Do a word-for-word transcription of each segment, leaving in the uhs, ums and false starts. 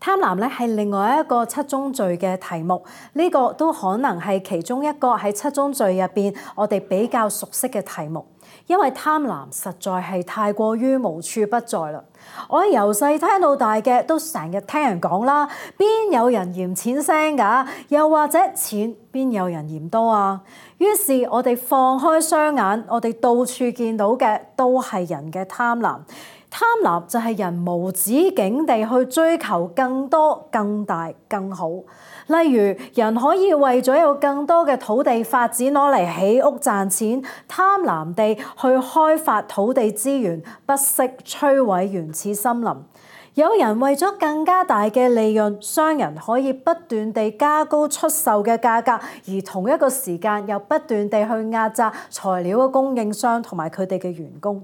貪婪咧係另外一個七宗罪嘅題目，呢個都可能係其中一個喺七宗罪入邊我哋比較熟悉嘅題目，因為貪婪實在係太過於無處不在啦。我由細聽到大嘅都成日聽人講啦，邊有人嫌錢腥㗎？又或者錢邊有人嫌多啊？於是我哋放開雙眼，我哋到處見到嘅都係人嘅貪婪。貪婪就係人無止境地去追求更多、更大、更好。例如，人可以為咗有更多嘅土地發展攞嚟起屋賺錢，貪婪地去開發土地資源，不惜摧毀原始森林。有人為咗更加大嘅利潤，商人可以不斷地加高出售嘅價格，而同一個時間又不斷地去壓榨材料嘅供應商同埋佢哋嘅員工。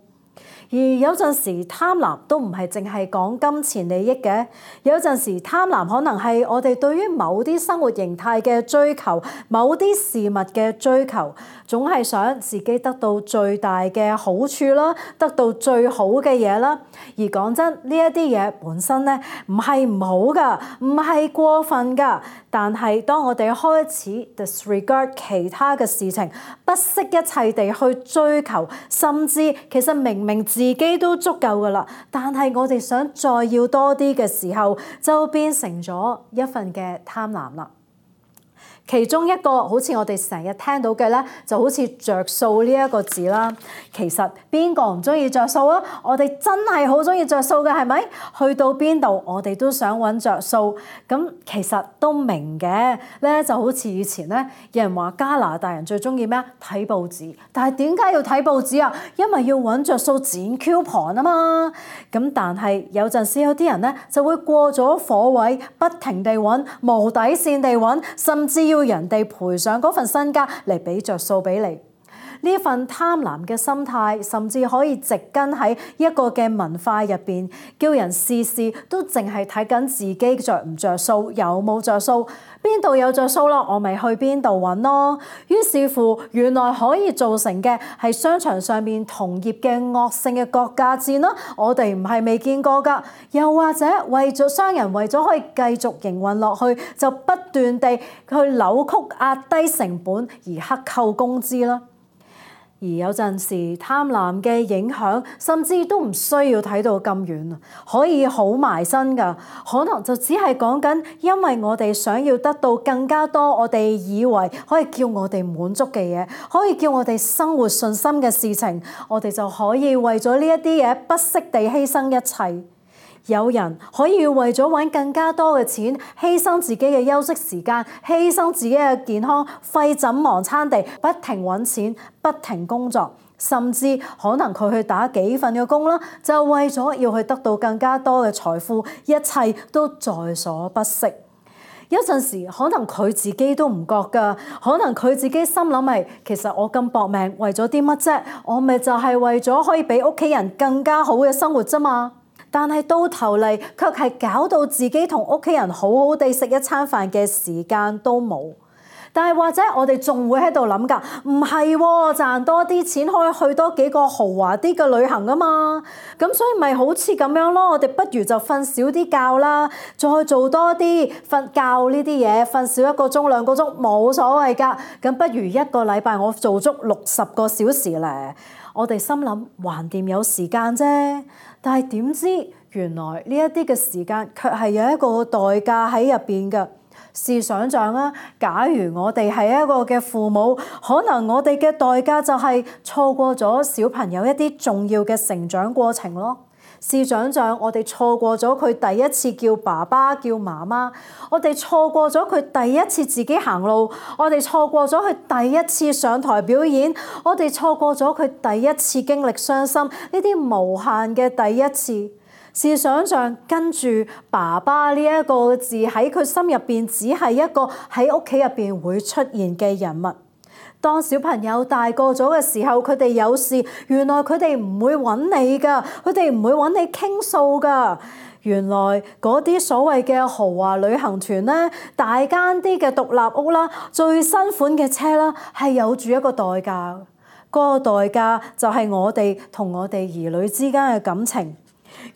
而有陣時貪婪都唔係淨係講金錢利益嘅，有陣時貪婪可能係我哋對於某啲生活形態嘅追求，某啲事物嘅追求，總係想自己得到最大嘅好處啦，得到最好嘅嘢啦。而講真，呢一啲嘢本身咧唔係唔好㗎，唔係過分㗎。但係當我哋開始 disregard 其他嘅事情，不惜一切地去追求，甚至其實明明自己都足夠㗎啦，但係我哋想再要多啲嘅時候，就變成咗一份嘅貪婪啦。其中一個好似我哋成日聽到嘅咧，就好似着數呢一個字啦。其實邊個唔中意着數啊？我哋真係好中意着數嘅，係咪？去到邊度我哋都想揾着數。咁其實都明嘅咧，就好似以前咧，有人話加拿大人最中意咩啊？睇報紙。但係點解要睇報紙啊？因為要揾着數剪 coupon 啊嘛。咁但係有陣時有啲人咧就會過咗火位，不停地揾，無底線地揾，甚至要人哋賠上嗰份身家嚟俾着數俾你。呢份貪婪嘅心態，甚至可以植根喺一個嘅文化入邊，叫人事事都淨係睇緊自己着唔着數，有冇着數，邊度有着數咯，我咪去邊度揾咯。於是乎，原來可以造成嘅係商場上面同業嘅惡性嘅割價戰啦。我哋唔係未見過㗎，又或者為咗商人為咗可以繼續營運落去，就不斷地去扭曲壓低成本而克扣工資啦。而有陣時貪婪嘅影響，甚至都唔需要睇到咁遠，可以好埋身㗎。可能就只係講緊，因為我哋想要得到更加多，我哋以為可以叫我哋滿足嘅嘢，可以叫我哋生活順心嘅事情，我哋就可以為咗呢一啲嘢不惜地犧牲一切。有人可以為咗揾更加多嘅錢，犧牲自己嘅休息時間，犧牲自己嘅健康，廢寢忘餐地不停揾錢，不停工作，甚至可能佢去打幾份嘅工啦，就為咗要去得到更加多嘅財富，一切都在所不惜。有陣時可能佢自己都唔覺㗎，可能佢自己心諗係，其實我咁搏命為咗啲乜啫？我咪就係為咗可以俾屋企人更加好嘅生活啫嘛。但係到頭嚟，卻係搞到自己同屋企人好好地食一餐飯嘅時間都冇。但係或者我哋仲會喺度諗㗎，唔係喎，賺多啲錢可以去多幾個豪華啲嘅旅行啊嘛。咁所以咪好似咁樣咯，我哋不如就瞓少啲覺啦，再做多啲瞓覺呢啲嘢，瞓少一個鐘兩個鐘冇所謂㗎。咁不如一個禮拜我做足六十個小時咧。我哋心諗橫掂有時間啫，但係點知原來呢一啲嘅時間卻係有一個代價喺入邊嘅。試想像啊，假如我哋係一個嘅父母，可能我哋嘅代價就係錯過咗小朋友一啲重要嘅成長過程咯。試想像我哋錯過咗佢第一次叫爸爸叫媽媽，我哋錯過咗佢第一次自己行路，我哋錯過咗佢第一次上台表演，我哋錯過咗佢第一次經歷傷心，呢啲無限嘅第一次。試想像跟住爸爸呢一個字喺佢心入邊，只係一個喺屋企入邊會出現嘅人物。當小朋友大個咗嘅時候，佢哋有事，原來佢哋唔會揾你㗎，佢哋唔會揾你傾訴㗎。原來嗰啲所謂嘅豪華旅行團咧，大間啲嘅獨立屋啦，最新款嘅車啦，係有住一個代價。嗰個代價就係我哋同我哋兒女之間嘅感情。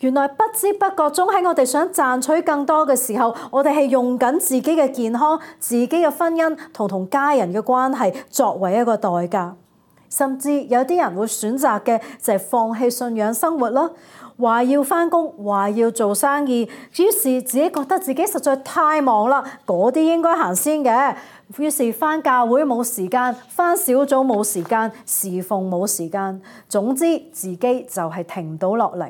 原來不知不覺中喺我哋想賺取更多嘅時候，我哋係用緊自己嘅健康、自己嘅婚姻同同家人嘅關係作為一個代價。甚至有啲人會選擇嘅就係放棄信仰生活啦，話要返工，話要做生意，於是自己覺得自己實在太忙啦，嗰啲應該行先嘅。於是返教會冇時間，返小組冇時間，侍奉冇時間，總之自己就係停唔到落嚟。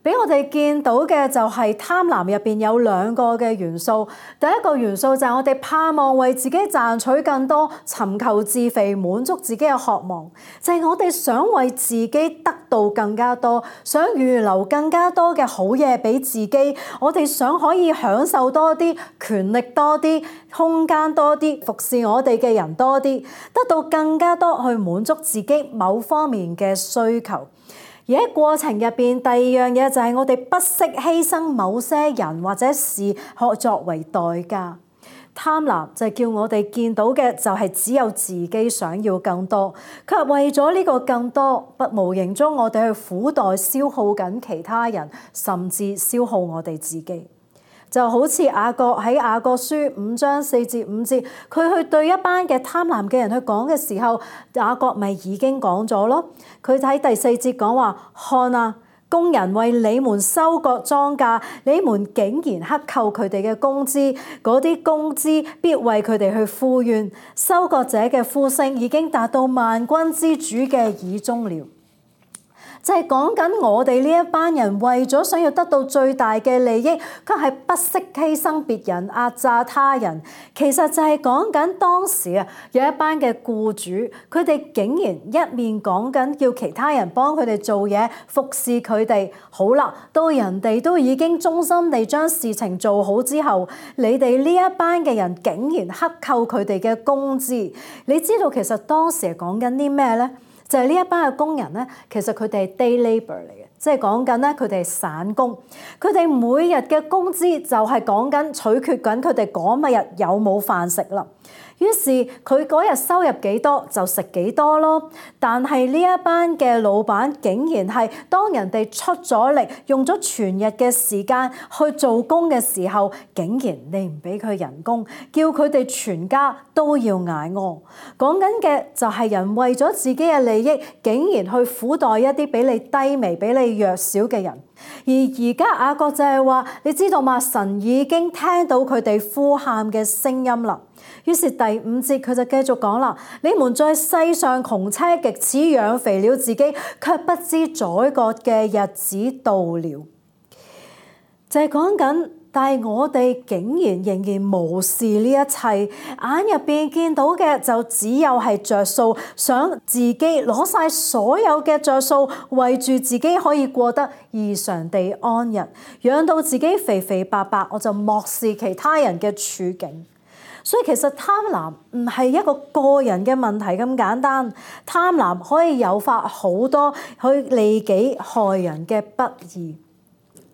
俾我哋見到嘅就係貪婪入邊有兩個嘅元素。第一個元素就係我哋盼望為自己賺取更多，尋求自肥，滿足自己嘅渴望，就係我哋想為自己得到更加多，想預留更加多嘅好嘢俾自己。我哋想可以享受多啲，權力多啲，空間多啲，服侍我哋嘅人多啲，得到更加多去滿足自己某方面嘅需求。而喺過程入邊，第二樣嘢就係我哋不惜犧牲某些人或者事作為代價。貪婪就係叫我哋見到嘅就係只有自己想要更多，卻為咗呢個更多，不無形中我哋去苦待消耗緊其他人，甚至消耗我哋自己。就好似雅各喺雅各書五章四至五節，佢去對一班嘅貪婪嘅人去講嘅時候，雅各咪已經講咗咯。佢喺第四節講話：看啊，工人為你們收割莊稼，你們竟然克扣佢哋嘅工資，嗰啲工資必為佢哋去呼冤。收割者嘅呼聲已經達到萬軍之主嘅耳中了。就係講緊我哋呢一班人為咗想要得到最大嘅利益，卻係不惜犧牲別人，壓榨他人。其實就係講緊當時啊，有一班嘅僱主，佢哋竟然一面講緊叫其他人幫佢哋做嘢，服侍佢哋。好啦，到人哋都已經忠心地將事情做好之後，你哋呢一班嘅人竟然克扣佢哋嘅工資。你知道其實當時係講緊啲咩呢？就係呢一班嘅工人咧，其實佢哋係 day labour 嚟嘅，即係講緊咧佢哋係散工，佢哋每日嘅工資就係講緊取決緊佢哋嗰日有冇飯食啦。於是佢嗰日收入幾多就食幾多咯。但係呢一班嘅老闆竟然係當人哋出咗力，用咗全日嘅時間去做工嘅時候，竟然你唔俾佢人工，叫佢哋全家都要捱餓。講緊嘅就係人為咗自己嘅利益，竟然去苦待一啲比你低微、比你弱小嘅人。而而家雅各就係話，你知道嘛？神已經聽到佢哋呼喊嘅聲音啦。於是第五節佢就繼續講啦：你們在世上窮奢極侈，養肥了自己，卻不知宰割嘅日子到了。就係講緊，但係我哋竟然仍然無視呢一切，眼入邊見到嘅就只有係着數，想自己攞晒所有嘅着數，為住自己可以過得異常地安逸，養到自己肥肥白白，我就漠視其他人嘅處境。所以其實貪婪唔係一個個人嘅問題咁簡單，貪婪可以誘發好多去利己害人嘅不義。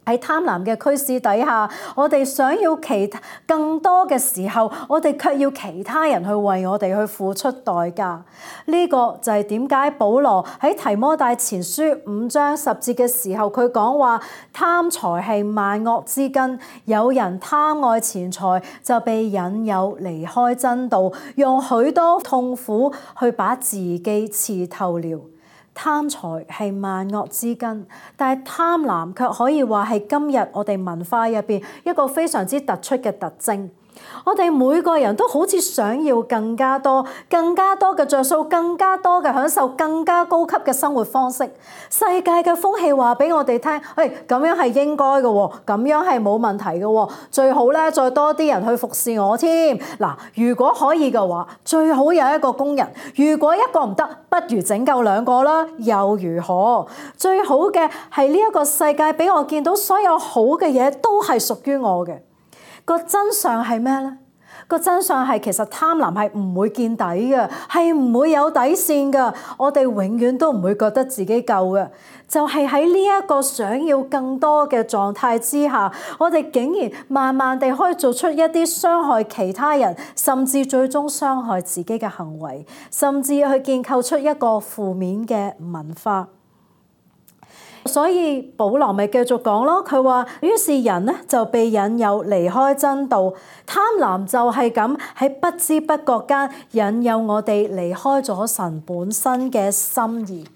喺貪婪嘅驅使底下，我哋想要其他更多嘅時候，我哋卻要其他人去為我哋去付出代價。呢個就係點解保羅喺提摩太前書五章十節嘅時候，佢講話貪財係萬惡之根，有人貪愛錢財，就被引誘離開真道，用許多痛苦去把自己刺透了。貪財係萬惡之根，但係貪婪卻可以話係今日我哋文化入邊一個非常之突出嘅特徵。我哋每個人都好似想要更加多、更加多嘅着數、更加多嘅享受、更加高級嘅生活方式。世界嘅風氣話俾我哋聽，喂，咁樣係應該嘅喎，咁樣係冇問題嘅喎，最好咧再多啲人去服侍我添。嗱，如果可以嘅話，最好有一個工人；如果一個唔得，不如整夠兩個啦，又如何？最好嘅係呢一個世界俾我見到所有好嘅嘢都係屬於我嘅。個真相係咩呢？個真相係其實貪婪係唔會見底嘅，係唔會有底線嘅。我哋永遠都唔會覺得自己夠嘅。就係喺呢一個想要更多嘅狀態之下，我哋竟然慢慢地可以做出一啲傷害其他人，甚至最終傷害自己嘅行為，甚至去建構出一個負面嘅文化。所以保羅咪繼續講咯，佢話於是人呢就被引誘離開真道，貪婪就係咁喺不知不覺間引誘我哋離開咗神本身嘅心意。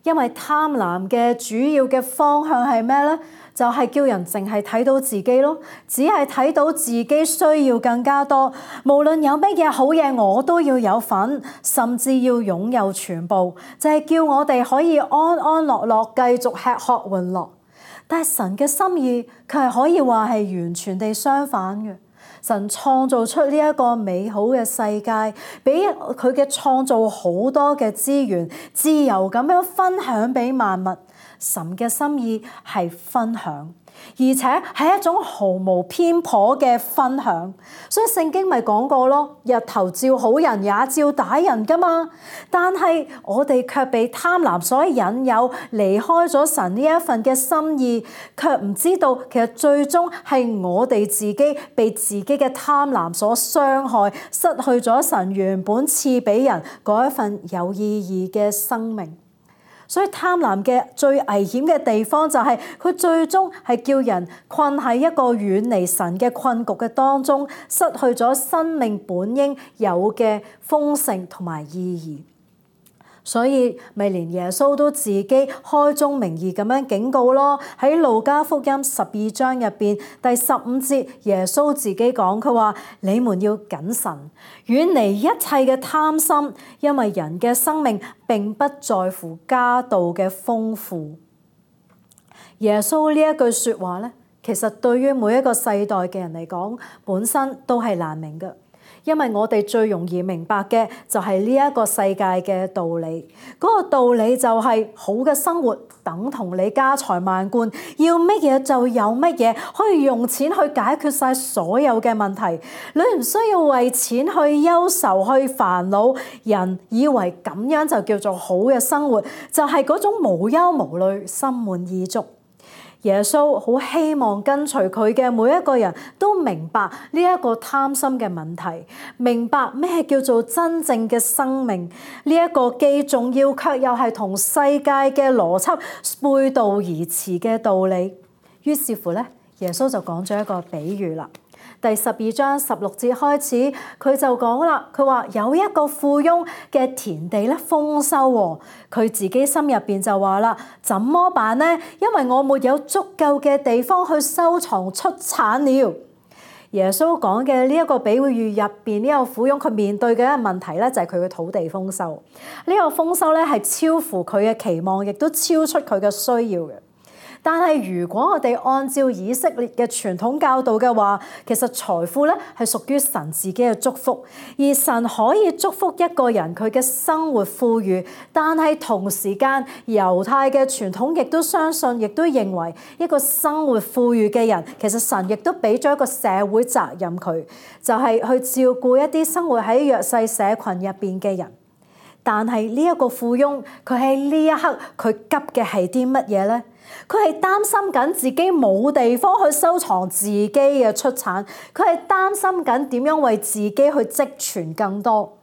因為貪婪嘅主要嘅方向係咩呢？就係叫人淨係睇到自己咯，只係睇到自己需要更加多，無論有乜嘢好嘢我都要有份，甚至要擁有全部，就係叫我哋可以安安樂樂繼續吃喝玩樂。但係神嘅心意佢係可以話係完全地相反嘅。神創造出呢一個美好嘅世界，俾佢嘅創造好多嘅資源，自由咁樣分享俾萬物。神嘅心意係分享，而且係一種毫無偏頗嘅分享。所以聖經咪講過咯，日頭照好人也照打人噶嘛。但係我哋卻被貪婪所引誘，離開咗神呢一份嘅心意，卻唔知道其實最終係我哋自己被自己嘅貪婪所傷害，失去咗神原本賜俾人嗰一份有意義嘅生命。所以貪婪嘅最危險嘅地方就係佢最終係叫人困喺一個遠離神嘅困局嘅當中，失去咗生命本應有嘅豐盛同埋意義。所以咪連耶穌都自己開宗明義咁樣警告咯。喺路加福音十二章入邊第十五節，耶穌自己講，佢話：你們要謹慎，遠離一切嘅貪心，因為人嘅生命並不在乎家道嘅豐富。耶穌呢一句說話咧，其實對於每一個世代嘅人嚟講，本身都係難明嘅。因為我哋最容易明白嘅就係呢一個世界嘅道理，嗰個道理就係好嘅生活等同你家財萬貫，要乜嘢就有乜嘢，可以用錢去解決晒所有嘅問題，你唔需要為錢去憂愁去煩惱。人以為咁樣就叫做好嘅生活，就係嗰種無憂無慮、心滿意足。耶穌好希望跟隨佢嘅每一個人都明白呢一個貪心嘅問題，明白咩叫做真正嘅生命，呢一個既重要卻又係同世界嘅邏輯背道而馳嘅道理。於是乎咧，耶穌就講咗一個比喻啦。第十二章十六節開始，佢就講啦，佢話有一個富翁嘅田地咧豐收喎，佢自己心入邊就話啦：怎麼辦呢？因為我沒有足夠嘅地方去收藏出產了。耶穌講嘅呢一個比喻入邊，呢個富翁佢面對嘅一個問題咧，就係佢嘅土地豐收。呢個豐收咧係超乎佢嘅期望，亦都超出佢嘅需要嘅。但係如果我哋按照以色列嘅傳統教導嘅話，其實財富咧係屬於神自己嘅祝福，而神可以祝福一個人佢嘅生活富裕，但係同時間猶太嘅傳統亦都相信，亦都認為一個生活富裕嘅人，其實神亦都俾咗一個社會責任佢，就係去照顧一啲生活喺弱勢社群入邊嘅人。但係呢一個富翁，佢喺呢一刻佢急嘅係啲乜嘢呢？佢係擔心緊自己冇地方去收藏自己嘅出產，佢係擔心緊點樣為自己去積存更多。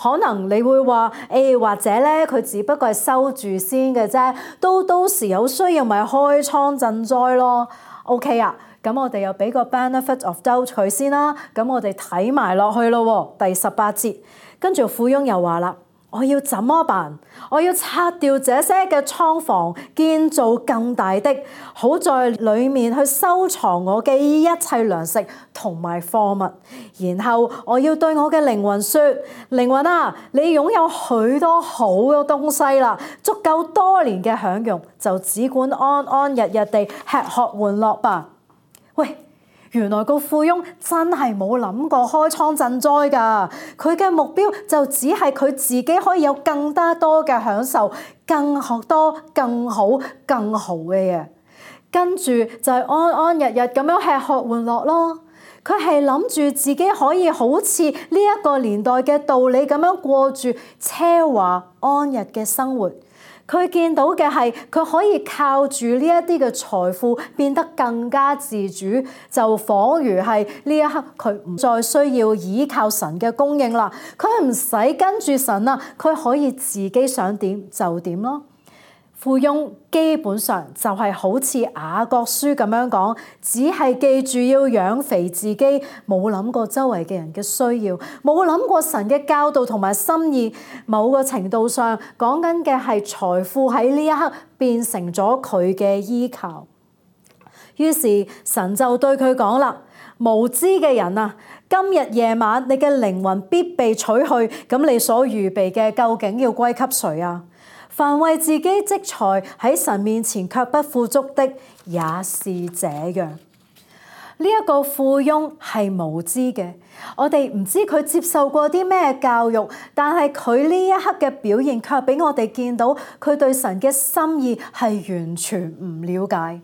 可能你會話，誒、欸、或者咧，佢只不過係收住先嘅啫，到到時有需要咪開倉賑災咯。OK 啊，咁我哋又俾個 benefit of doubt 佢先啦。咁我哋睇埋落去咯，第十八節，跟住富翁又話啦：我要怎麼辦？我要拆掉這些嘅倉房，建造更大的，好在裡面去收藏我嘅一切糧食同埋貨物。然後我要對我嘅靈魂說：靈魂啊，你擁有許多好嘅東西啦，足夠多年嘅享用，就只管安安日日地吃喝玩樂吧。喂！原來個富翁真係冇諗過開倉賑災㗎，佢嘅目標就只係佢自己可以有更加多嘅享受，更多、更好、更好嘅嘢，跟住就係安安日日咁樣吃喝玩樂咯。佢係諗住自己可以好似呢一個年代嘅道理咁樣過住奢華安逸嘅生活。佢見到嘅係佢可以靠住呢一啲嘅財富變得更加自主，就彷如係呢一刻佢唔再需要依靠神嘅供應啦，佢唔使跟住神啦，佢可以自己想點就點咯。富翁基本上就係好似雅各書咁樣講，只係記住要養肥自己，冇諗過周圍嘅人嘅需要，冇諗過神嘅教導同埋心意。某個程度上講緊嘅係財富喺呢一刻變成咗佢嘅依靠。於是神就對佢講啦：無知嘅人啊，今日夜晚你嘅靈魂必被取去，咁你所預備嘅究竟要歸給誰啊？凡為自己積財喺神面前卻不富足的，也是這樣。呢、這、一個富翁係無知嘅，我哋唔知佢接受過啲咩教育，但係佢呢一刻嘅表現卻俾我哋見到佢對神嘅心意係完全唔了解，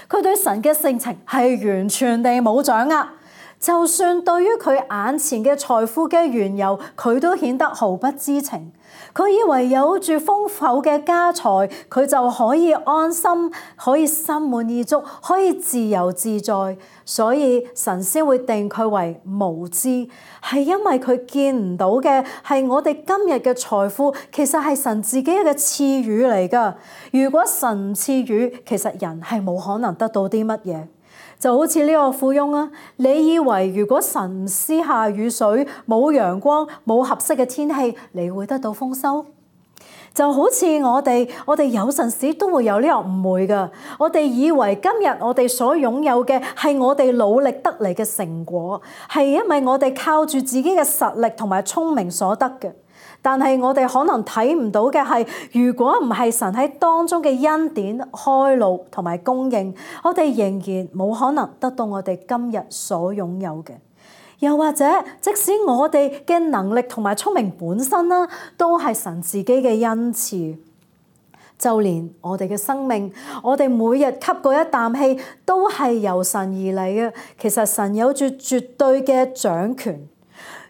佢對神嘅性情係完全地冇掌握。就算對於佢眼前嘅財富嘅緣由，佢都顯得毫不知情。佢以為有住豐厚嘅家財，佢就可以安心，可以心滿意足，可以自由自在。所以神先會定佢為無知，係因為佢見唔到嘅係我哋今日嘅財富，其實係神自己嘅賜予嚟㗎。如果神唔賜予，其實人係冇可能得到啲乜嘢。就好似呢個富翁啊，你以為如果神唔施下雨水，冇陽光，冇合適嘅天氣，你會得到豐收？就好似我哋，我哋有陣時都會有呢個誤會㗎。我哋以為今日我哋所擁有嘅係我哋努力得嚟嘅成果，係因為我哋靠住自己嘅實力同埋聰明所得嘅。但係我哋可能睇唔到嘅係，如果唔係神喺當中嘅恩典開路同埋供應，我哋仍然冇可能得到我哋今日所擁有嘅。又或者，即使我哋嘅能力同埋聰明本身啦，都係神自己嘅恩賜。就連我哋嘅生命，我哋每日吸嗰一啖氣，都係由神而嚟嘅。其實神有住絕對嘅掌權。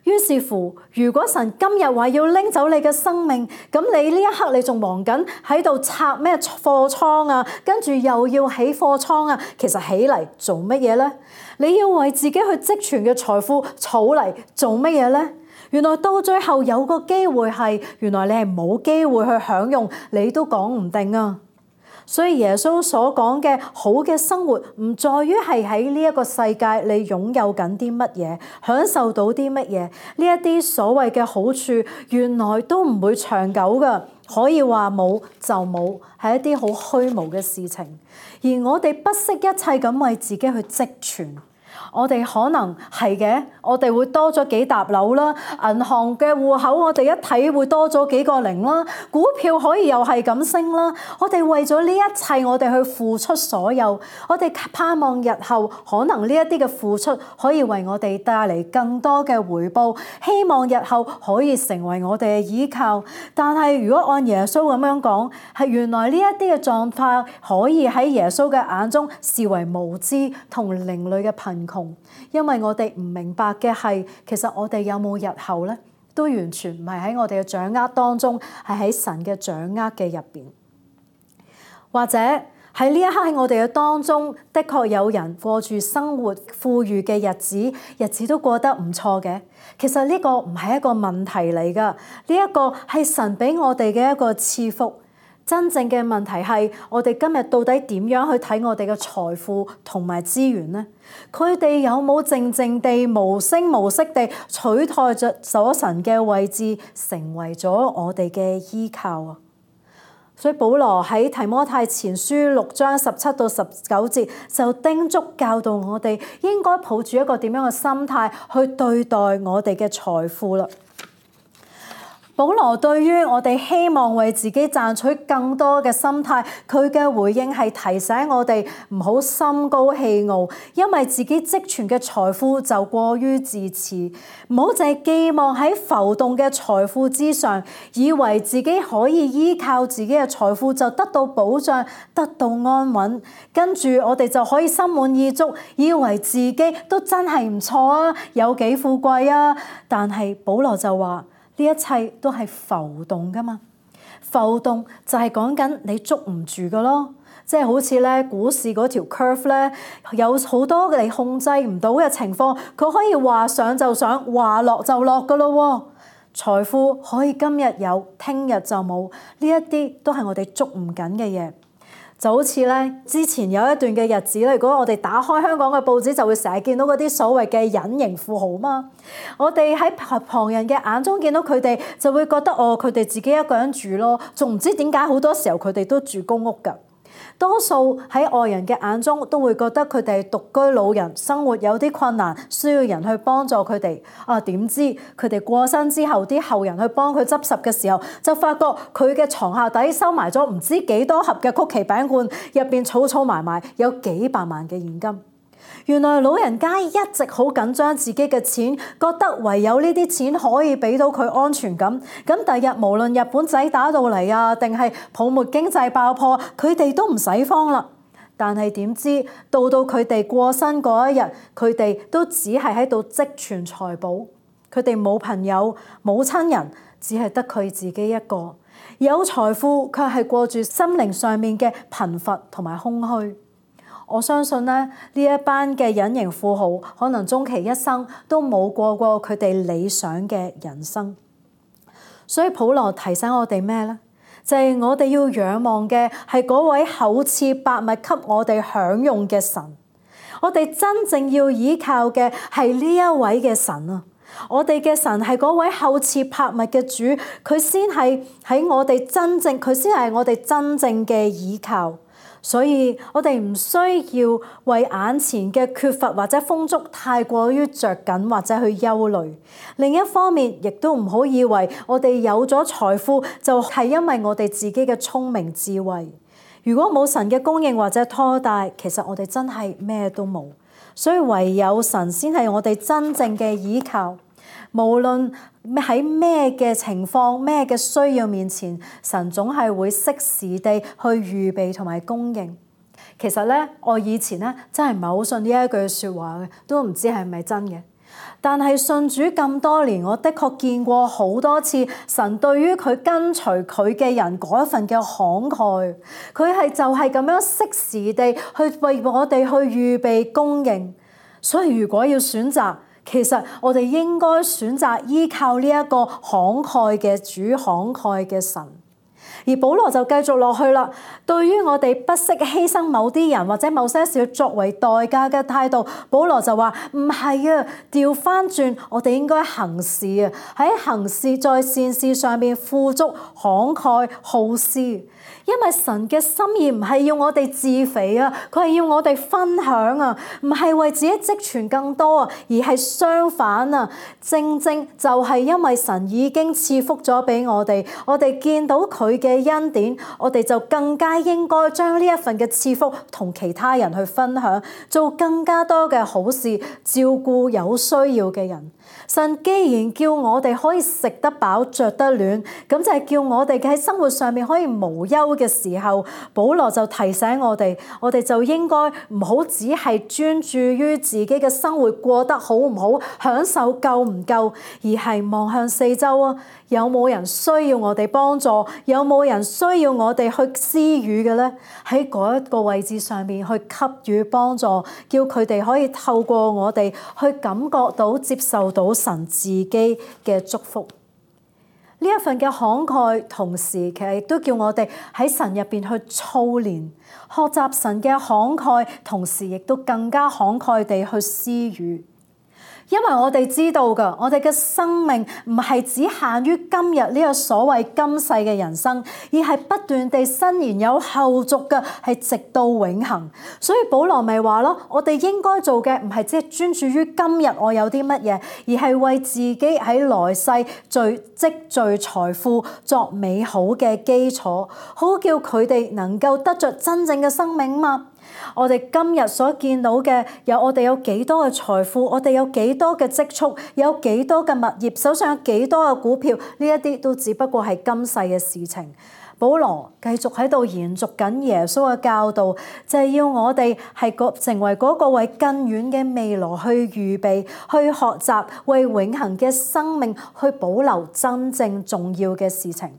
於是乎，如果神今日話要拎走你嘅生命，咁你呢一刻你仲忙緊喺度拆咩貨倉啊，跟住又要起貨倉啊，其實起嚟做乜嘢呢？你要為自己去積存嘅財富儲嚟做乜嘢呢？原來到最後有個機會係，原來你係冇機會去享用，你都講唔定啊！所以耶穌所講嘅好嘅生活，唔在於係喺呢一個世界你擁有緊啲乜嘢，享受到啲乜嘢。呢一啲所謂嘅好處，原來都唔會長久㗎，可以話冇就冇，係一啲好虛無嘅事情。而我哋不惜一切咁為自己去積存。我哋可能係嘅，我哋會多咗幾沓樓啦，銀行嘅戶口我哋一睇會多咗幾個零啦，股票可以又係咁升啦。我哋為咗呢一切，我哋去付出所有，我哋盼望日後可能呢一啲嘅付出可以為我哋帶嚟更多嘅回報，希望日後可以成為我哋嘅依靠。但係如果按耶穌咁樣講，係原來呢一啲嘅狀況可以喺耶穌嘅眼中視為無知同另類嘅貧窮。因為我哋唔明白嘅係，其實我哋有冇日後呢？都完全唔係喺我哋嘅掌握當中，係喺神嘅掌握嘅入邊。或者喺呢一刻喺我哋嘅當中，的確有人過住生活富裕嘅日子，日子都過得唔錯嘅。其實呢個唔係一個問題嚟㗎，呢一個係神俾我哋嘅一個賜福。真正嘅問題係，我哋今日到底點樣去睇我哋嘅財富同埋資源呢？佢哋有冇靜靜地無聲無息地取代着咗神嘅位置，成為咗我哋嘅依靠啊？所以保羅喺提摩太前書六章十七到十九節就叮囑教導我哋應該抱住一個點樣嘅心態去對待我哋嘅財富啦。保羅對於我哋希望為自己賺取更多嘅心態，佢嘅回應係提醒我哋唔好心高氣傲，因為自己積存嘅財富就過於自恃，唔好淨係寄望喺浮動嘅財富之上，以為自己可以依靠自己嘅財富就得到保障、得到安穩，跟住我哋就可以心滿意足，以為自己都真係唔錯啊，有幾富貴啊。但係保羅就話，呢一切都係浮動噶嘛，浮動就係講緊你捉唔住噶咯，即係好似咧股市嗰條 curve 咧，有好多你控制唔到嘅情況，佢可以話上就上，話落就落噶咯。財富可以今日有，聽日就冇，呢一啲都係我哋捉唔緊嘅嘢。就好似咧，之前有一段嘅日子咧，如果我哋打開香港嘅報紙，就會成日見到嗰啲所謂嘅隱形富豪嘛。我哋喺旁人嘅眼中見到佢哋，就會覺得哦，佢哋自己一個人住咯，仲唔知點解好多時候佢哋都住公屋㗎。多數喺外人嘅眼中都會覺得佢哋係獨居老人，生活有啲困難，需要人去幫助佢哋。啊，點知佢哋過身之後，啲後人去幫佢執拾嘅時候，就發覺佢嘅床下底收埋咗唔知幾多盒嘅曲奇餅罐，入邊儲儲埋埋有幾百萬嘅現金。原來老人家一直好緊張自己嘅錢，覺得唯有呢啲錢可以俾到佢安全感。咁第日無論日本仔打到嚟啊，定係泡沫經濟爆破，佢哋都唔使慌啦。但係點知到到佢哋過身嗰一日，佢哋都只係喺度積存財寶，佢哋冇朋友冇親人，只係得佢自己一個。有財富卻係過住心靈上面嘅貧乏同埋空虛。我相信咧，呢一班嘅隱形富豪可能終其一生都冇過過佢哋理想嘅人生。所以保羅提醒我哋咩呢？就係我哋要仰望嘅係嗰位厚賜百物給我哋享用嘅神。我哋真正要依靠嘅係呢一位嘅神啊！我哋嘅神係嗰位厚賜百物嘅主，佢先係喺我哋真正，佢先係我哋真正嘅依靠。所以我哋唔需要為眼前嘅缺乏或者豐足太過於着緊或者去憂慮。另一方面，亦都唔好以為我哋有咗財富就係因為我哋自己嘅聰明智慧。如果冇神嘅供應或者拖帶，其實我哋真係咩都冇。所以唯有神先係我哋真正嘅依靠。無論喺咩嘅情況、咩嘅需要面前，神總係會適時地去預備同埋供應。其實咧，我以前咧真係唔係好信呢一句説話嘅，都唔知係咪真嘅。但係信主咁多年，我的確見過好多次神對於佢跟隨佢嘅人嗰一份嘅慷慨，佢係就係咁樣適時地去為我哋去預備供應。所以如果要選擇，其實我哋應該選擇依靠呢一個慷慨嘅主、慷慨嘅神。而保羅就繼續落去啦。對於我哋不惜犧牲某啲人或者某些事作為代價嘅態度，保羅就話唔係啊，調翻轉，我哋應該行事啊，喺行事在善事上面富足、慷慨、好施。因為神嘅心意唔係要我哋自肥啊，佢係要我哋分享啊，唔係為自己積存更多啊，而係相反啊，正正就係因為神已經賜福咗俾我哋，我哋見到佢嘅恩典，我哋就更加應該將呢一份嘅賜福同其他人去分享，做更加多嘅好事，照顧有需要嘅人。神既然叫我哋可以食得飽、着得暖，咁就係叫我哋喺生活上面可以無憂嘅時候，保羅就提醒我哋，我哋就應該唔好只係專注於自己嘅生活過得好唔好、享受夠唔夠，而係望向四周啊，有冇人需要我哋幫助？有冇人需要我哋去施予嘅呢？喺嗰一個位置上面去給予幫助，叫佢哋可以透過我哋去感覺到、接受到神自己嘅祝福。呢一份嘅慷慨，同時其實亦都叫我哋喺神入邊去操練，學習神嘅慷慨，同時亦都更加慷慨地去施予。因為我哋知道㗎，我哋嘅生命唔係只限於今日呢個所謂今世嘅人生，而係不斷地伸延有後續嘅，係直到永恆。所以保羅咪話咯，我哋應該做嘅唔係只係專注於今日我有啲乜嘢，而係為自己喺來世聚積聚財富作美好嘅基礎，好叫佢哋能夠得着真正嘅生命嘛。我哋今日所見到嘅，有我哋有幾多嘅財富，我哋有幾多嘅積蓄，有幾多嘅物業，手上有幾多嘅股票，呢一啲都只不過係今世嘅事情。保羅繼續喺度延續緊耶穌嘅教導，就係要我哋係成為嗰個為更遠嘅未來去預備，去學習為永恆嘅生命去保留真正重要嘅事情。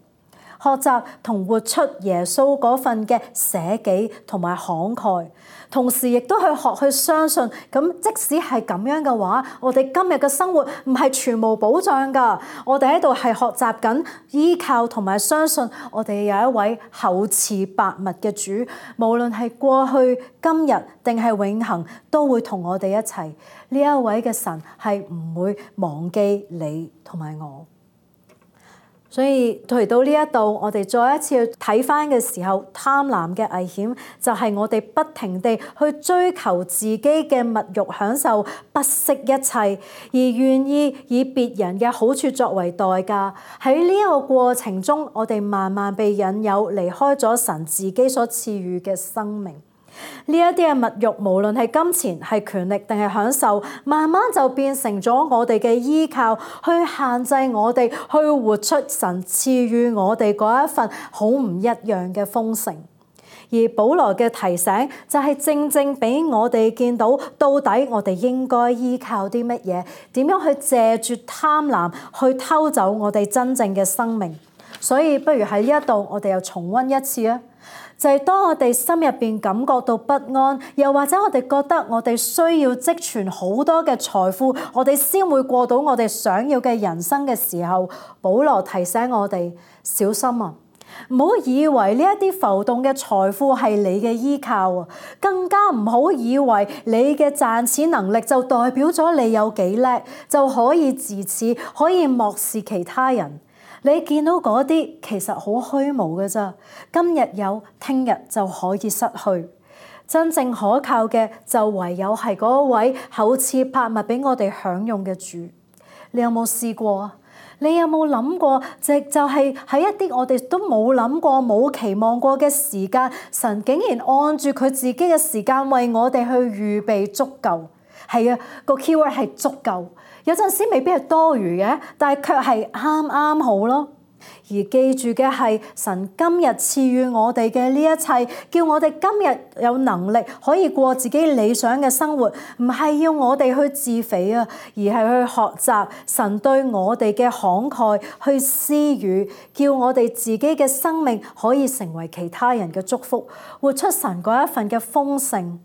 學習同活出耶穌嗰份嘅捨己同埋慷慨，同時亦都去學去相信。咁即使係咁樣嘅話，我哋今日嘅生活唔係全無保障㗎。我哋喺度係學習緊依靠同埋相信，我哋有一位厚賜百物嘅主，無論係過去、今日定係永恆，都會同我哋一齊。呢一位嘅神係唔會忘記你同埋我。所以嚟到呢一度，我哋再一次去睇返嘅時候，貪婪嘅危險就係我哋不停地去追求自己嘅物慾享受，不惜一切，而願意以別人嘅好處作為代價。喺呢一個過程中，我哋慢慢被引誘離開咗神自己所賜予嘅生命。呢一啲嘅物慾，無論係金錢、係權力定係享受，慢慢就變成咗我哋嘅依靠，去限制我哋去活出神賜予我哋嗰一份好唔一樣嘅豐盛。而保羅嘅提醒就係正正俾我哋見到，到底我哋應該依靠啲乜嘢，點樣去借住貪婪去偷走我哋真正嘅生命。所以不如喺呢一度，我哋又重溫一次啊！就係當我哋心入邊感覺到不安，又或者我哋覺得我哋需要積存好多嘅財富，我哋先會過到我哋想要嘅人生嘅時候，保羅提醒我哋小心啊！唔好以為呢一啲浮動嘅財富係你嘅依靠啊，更加唔好以為你嘅賺錢能力就代表咗你有幾叻，就可以自恃，可以漠視其他人。你見到嗰啲其實好虛無嘅咋，今日有，聽日就可以失去。真正可靠嘅就唯有係嗰位厚賜百物俾我哋享用嘅主。你有冇試過啊？你有冇諗過？就就係喺一啲我哋都冇諗過、冇期望過嘅時間，神竟然按住佢自己嘅時間為我哋去預備足夠。係啊，個 keyword 係足夠。有陣時未必係多餘嘅，但係卻係啱啱好咯。而記住嘅係，神今日賜予我哋嘅呢一切，叫我哋今日有能力可以過自己理想嘅生活，唔係要我哋去自肥啊，而係去學習神對我哋嘅慷慨，去施予，叫我哋自己嘅生命可以成為其他人嘅祝福，活出神嗰一份嘅豐盛。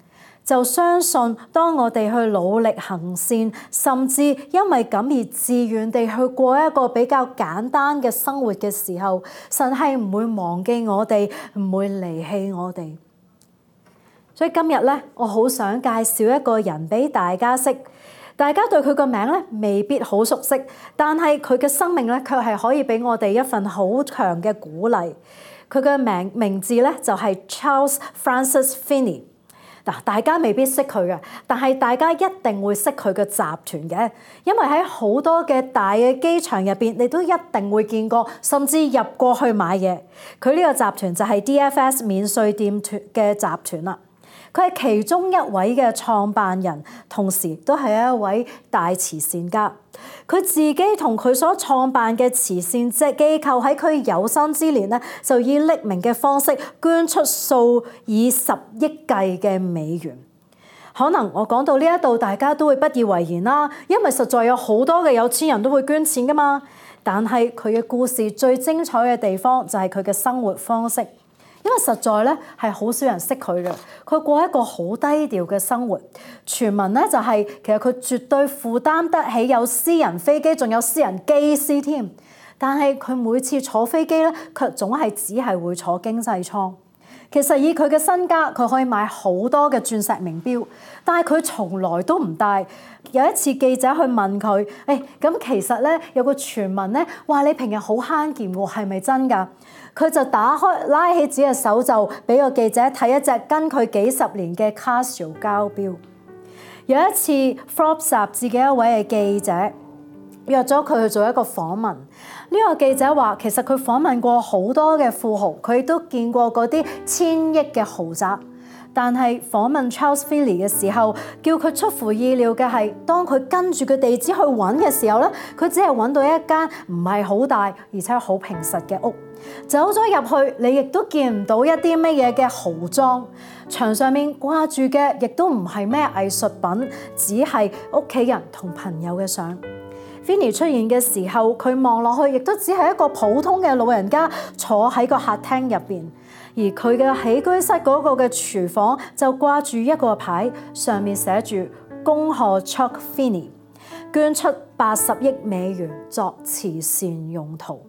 就相信當我哋去努力行善，甚至因為咁而自願地去過一個比較簡單嘅生活嘅時候，神係唔會忘記我哋，唔會離棄我哋。所以今日咧，我好想介紹一個人俾大家識，大家對佢個名咧未必好熟悉，但係佢嘅生命咧卻係可以俾我哋一份好強嘅鼓勵。佢嘅名名字咧就係 Charles Francis Finney。嗱，大家未必識佢嘅，但係大家一定會識佢嘅集團嘅，因為喺好多嘅大嘅機場入邊，你都一定會見過，甚至入過去買嘢。佢呢個集團就係 D F S 免稅店團嘅集團啦。佢係其中一位嘅創辦人，同時都係一位大慈善家。佢自己同佢所創辦嘅慈善即機構喺佢有生之年咧，就以匿名嘅方式捐出數以十億計嘅美元。可能我講到呢一度，大家都會不以為然啦，因為實在有好多嘅有錢人都會捐錢噶嘛。但係佢嘅故事最精彩嘅地方就係佢嘅生活方式。因為實在咧係好少人識佢嘅，佢過一個好低調嘅生活。傳聞咧就係、是、其實佢絕對負擔得起有私人飛機，仲有私人機師添。但係佢每次坐飛機咧，卻總係只係會坐經濟艙。其實以佢嘅身家，佢可以買好多嘅鑽石名錶，但係佢從來都唔戴。有一次記者去問佢：誒、哎，咁其實咧有個傳聞咧話你平日好慳儉喎，係咪真㗎？佢就打開拉起自己嘅手袖，俾個記者睇一隻跟佢幾十年嘅 Casio 膠錶。有一次 Forbes 雜誌嘅一位嘅記者約咗佢去做一個訪問。呢個記者話，其實佢訪問過好多嘅富豪，佢亦都見過嗰啲千億嘅豪宅。但係訪問 Charles Finney 嘅時候，叫佢出乎意料嘅係，當佢跟住個地址去揾嘅時候咧，佢只係揾到一間唔係好大而且好平實嘅屋。走咗入去，你亦都見唔到一啲乜嘢嘅豪裝，牆上面掛住嘅亦都唔係咩藝術品，只係屋企人同朋友嘅相。Vinny 出現嘅時候，佢望落去亦都只係一個普通嘅老人家坐喺個客廳入邊，而佢嘅起居室嗰個嘅廚房就掛住一個牌，上面寫住恭賀 Chuck Finny 捐出八十億美元作慈善用途。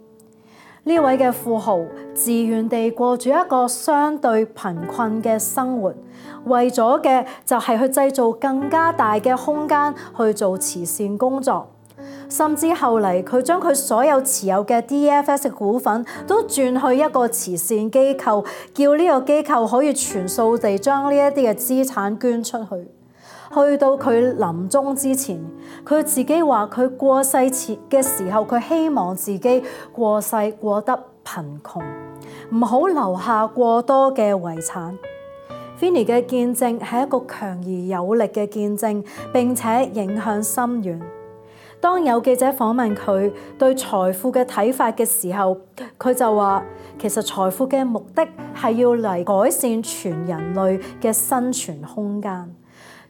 呢位嘅富豪自願地過住一個相對貧困嘅生活，為咗嘅就係去製造更加大嘅空間去做慈善工作。甚至後嚟佢將佢所有持有嘅 D F S 嘅股份都轉去一個慈善機構，叫呢個機構可以全數地將呢一啲嘅資產捐出去。去到佢臨終之前，佢自己話佢過世前嘅時候，佢希望自己過世過得貧窮，唔好留下過多嘅遺產。Vinny 嘅見證係一個強而有力嘅見證，並且影響深遠。當有記者訪問佢對財富嘅睇法嘅時候，佢就話其實財富嘅目的係要嚟改善全人類嘅生存空間。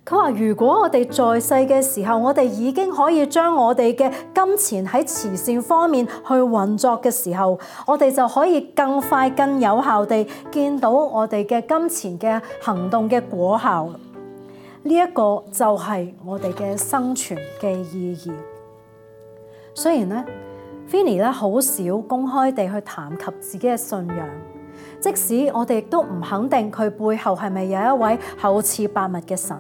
佢話如果我哋在世嘅時候，我哋已經可以將我哋嘅金錢喺慈善方面去運作嘅時候，我哋就可以更快更有效地見到我哋嘅金錢嘅行動嘅果效。呢一個就係我哋嘅生存嘅意義。雖然咧 Vinny 咧好少公開地去談及自己嘅信仰，即使我哋亦都唔肯定佢背後係咪有一位厚賜百物嘅神，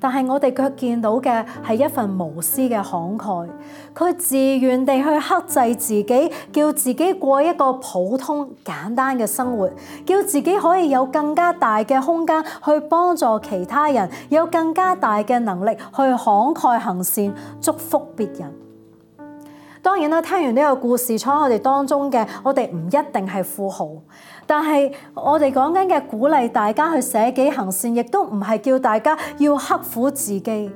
但係我哋卻見到嘅係一份無私嘅慷慨。佢自願地去克制自己，叫自己過一個普通簡單嘅生活，叫自己可以有更加大嘅空間去幫助其他人，有更加大嘅能力去慷慨行善，祝福別人。當然啦，聽完呢個故事，坐喺我哋當中嘅，我哋唔一定係富豪，但係我哋講緊嘅鼓勵大家去捨己行善，亦都唔係叫大家要刻苦自己，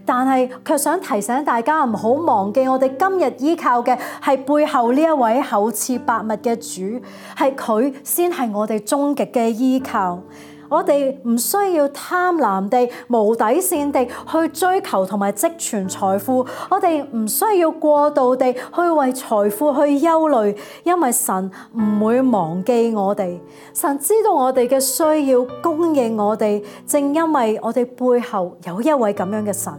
但係卻想提醒大家唔好忘記，我哋今日依靠嘅係背後呢一位厚賜百物嘅主，係佢先係我哋終極嘅依靠。我哋唔需要貪婪地、無底線地去追求同埋積存財富，我哋唔需要過度地去為財富去憂慮，因為神唔會忘記我哋。神知道我哋嘅需要，供應我哋，正因為我哋背後有一位咁樣嘅神，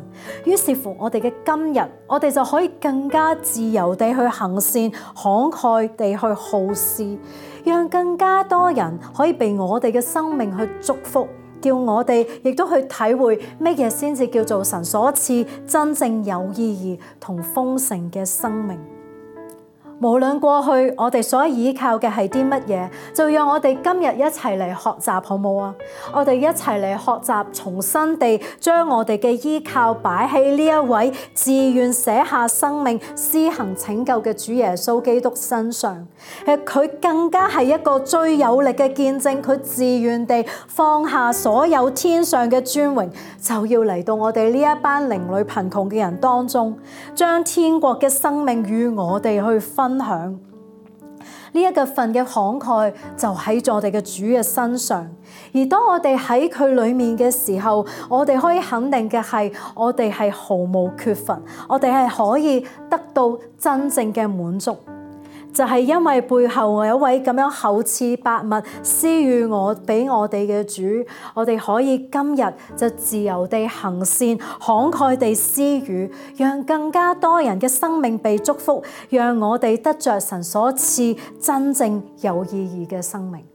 於是乎我哋嘅今日，我哋就可以更加自由地去行善，慷慨地去好施，讓更加多人可以被我哋嘅生命去祝福，叫我哋亦都去體會乜嘢先至叫做神所賜真正有意義同豐盛嘅生命。無論過去我哋所依靠嘅係啲乜嘢，就讓我哋今日一齊嚟學習，好冇啊？我哋一齊嚟學習，重新地將我哋嘅依靠擺喺呢一位自願捨下生命、施行拯救嘅主耶穌基督身上。誒，佢更加係一個最有力嘅見證，佢自願地放下所有天上嘅尊榮，就要嚟到我哋呢一班靈裡貧窮嘅人當中，將天國嘅生命與我哋去分享。呢一個份嘅慷慨就喺我哋嘅主嘅身上，而當我哋喺佢裏面嘅時候，我哋可以肯定嘅係，我哋係毫無缺乏，我哋係可以得到真正嘅滿足。就係因為背後有一位咁樣厚賜百物施予我俾我哋嘅主，我哋可以今日就自由地行善，慷慨地施予，讓更加多人嘅生命被祝福，讓我哋得着神所賜真正有意義嘅生命。